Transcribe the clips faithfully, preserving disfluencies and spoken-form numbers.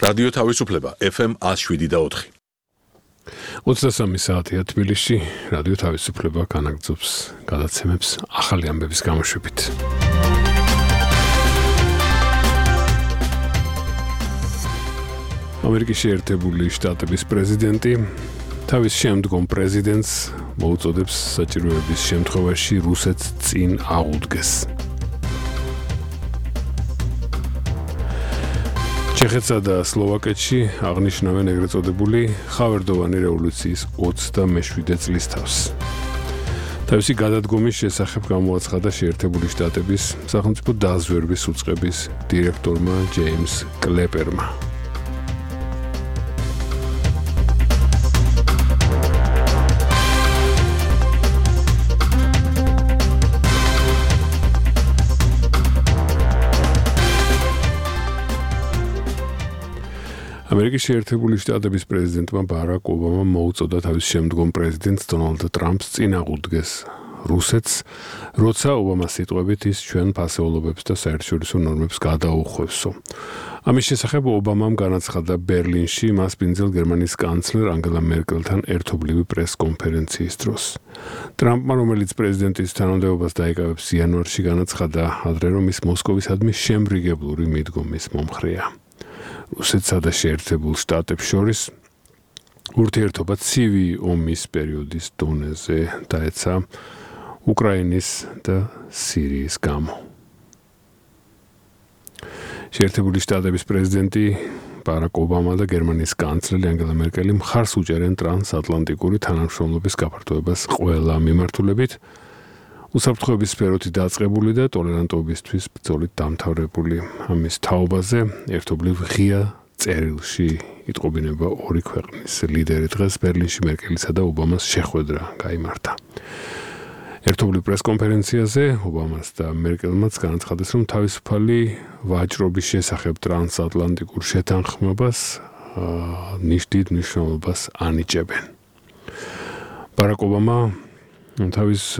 რადიო თავისუფლება ეფ ემ one oh seven და four. ოცდასამი საათია თბილისში, რადიო თავისუფლება განაგრძობს გადაცემებს ახალი ამბების გამოშვებით. ამერიკის შეერთებული შტატების პრეზიდენტი თავის შემდგომ პრეზიდენტს მოუწოდებს საჭიროების შემთხვევაში რუსეთს წინ აღუდგეს. ჩეხეთსა და სლოვაკეთში აღნიშნავენ ეგრეთ წოდებული ხავერდოვანი რევოლუციის ოცდამეშვიდე წლისთავს. თავისი გადადგომის შესახებ გამოაცხადა შეერთებული შტატების სახელმწიფო დაზვერვის უწყების დირექტორმა ჯეიმს კლეპერმა. ამერიკის შეერთებული შტატების პრეზიდენტმა ბარაკ ობამამ მოუწოდა თავის შემდგომ პრეზიდენტს დონალდ ტრამპს წინ აღუდგეს რუსეთს, როცა ობამას სიტყვებით ის ჩვენ ფასეულობებს და საერთაშორისო ნორმებს გადაუხვევსო. ამის შესახებ ობამამ განაცხადა ბერლინში მასპინძელ გერმანიის კანცლერ ანგელა მერკელთან ერთობლივი პრეს-კონფერენციის დროს. ტრამპმა, რომელიც პრეზიდენტის თანამდებობას დაიკავებს იანვარში, განაცხადა ადრე, რომ ის მოსკოვისადმი შემრიგებლური მიდგომის მომხრეა. რუსეთსა და შეერთებულ შტატებს შორის ურთიერთობა ცივი ომის პერიოდის დონეზე დაეცა უკრაინის და სირიის გამო. შეერთებული შტატების პრეზიდენტი ბარაკ ობამა და გერმანიის კანცლერი ანგელა მერკელი მხარს უჭერენ ტრანსატლანტიკური თანამშრომლობის გაფართოებას ყველა მიმართულებით, უსაფრთხოების სფეროთი დაწყებული და ტოლერანტობისთვის ბრძოლით დამთავრებული. ამის თაობაზე ერთობლივ ღია წერილში იტყობინება ორი ქვეყნის ლიდერი. დღეს ბერლინში მერკელისა და ობამას შეხვედრა გაიმართა. ერთობლივ პრესკონფერენციაზე ობამას და მერკელმაც განაცხადეს, რომ თავისუფალი ვაჭრობის შესახებ ტრანსატლანტიკურ შეთანხმებას ნიშნით მნიშვნელობას ანიჭებენ. ბარაკ ობამა თავის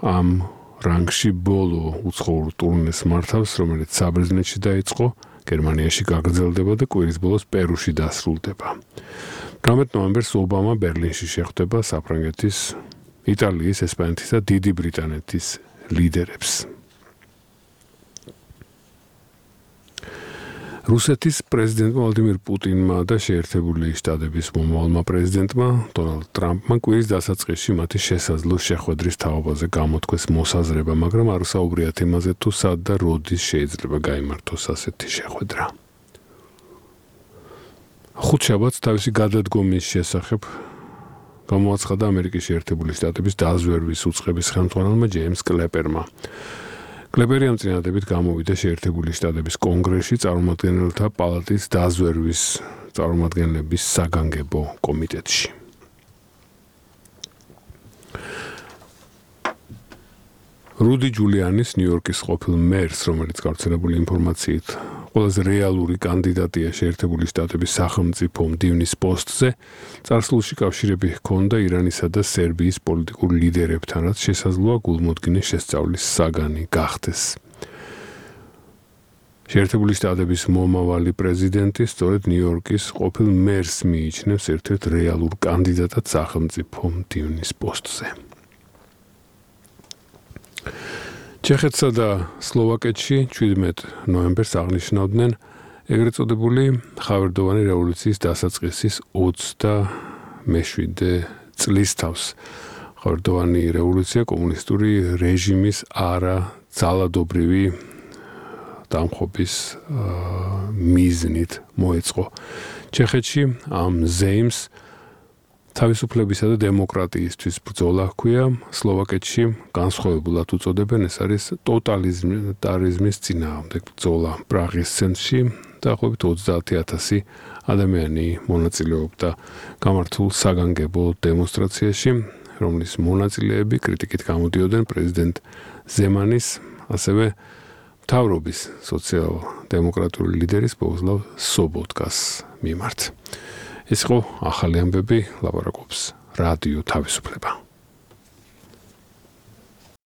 ამ რანგში ბოლო უცხოურ ტურნეს მართავს, რომელიც საბერძნეთში დაიწყო, გერმანიაში გაგრძელდება და კვირის ბოლოს პერუში დასრულდება. თვრამეტ ნოემბერს ობამა ბერლინში შეხვდება საფრანგეთის, იტალიის, ესპანეთის და დიდი ბრიტანეთის ლიდერებს. რუსეთის პრეზიდენტმა ვლადიმირ პუტინმა და შეერთებული შტატების მომავალმა პრეზიდენტმა დონალდ ტრამპმა კვირის დასაწყისში მათი შესაძლო შეხვედრის თაობაზე გამოთქვეს მოსაზრება, მაგრამ არ საუბრია თემაზე თუ სად და როდის შეიძლება გაიმართოს ასეთი შეხვედრა. ხუთშაბათს თავისი გადადგომის შესახებ გამოაცხადა ამერიკის შეერთებული შტატების დაზვერვის უწყების ხელმძღვანელმა ჯეიმს კლეპერმა. კლეპერი ამ წინადადებით გამოვიდა შეერთებული შტატების კონგრესში წარმომადგენელთა პალატის დაზვერვის წარმომადგენლების საგანგებო კომიტეტში. რუდი ჯულიანის ნიუ-იორკის ყოფილ მერს, რომელიც გავრცელებული ინფორმაციით ყველაზე რეალური კანდიდატია შეერთებული შტატების სახელმწიფო მდივნის პოსტზე, წარსულში კავშირები ჰქონდა ირანისა და სერბიის პოლიტიკურ ლიდერებთან, რაც შესაძლოა გულმოდგინე შესწავლის საგანი გახდეს. შეერთებული შტატების მომავალი პრეზიდენტი სწორედ ნიუ-იორკის ყოფილ მერს მიიჩნევს ერთ-ერთ რეალურ კანდიდატად სახელმწიფო მდივნის პოსტზე. ჩეხეთსა და სლოვაკეთში შვიდმეტ ნოემბერს აღნიშნავდნენ ეგრეთ წოდებული ხავერდოვანი რევოლუციის დასაწყისის ოცდამეშვიდე წლისთავს. ხავერდოვანი რევოლუცია კომუნისტური რეჟიმის არაძალადობრივი დამხობის მიზნით მოეწყო. ჩეხეთში ამ ზეიმს თავისუფლებისა და დემოკრატიისთვის ბრძოლა ჰქვია, სლოვაკეთში განსხვავებულად უწოდებენ, ეს არის ტოტალიტარიზმის წინააღმდეგ ბრძოლა. პრაღის ცენტრში დაახლოებით ოცდაათი ათასი ადამიანი მონაწილეობდა გამართულ საგანგებო დემონსტრაციაში, რომლის მონაწილეები კრიტიკით გამოდიოდნენ პრეზიდენტ ზემანის, ასევე მთავრობის სოციალ-დემოკრატიული ლიდერის ბოგოსლავ სობოტკას მიმართ. ეს იყო ახალი ამბები, ლაპარაკობს რადიო თავისუფლება.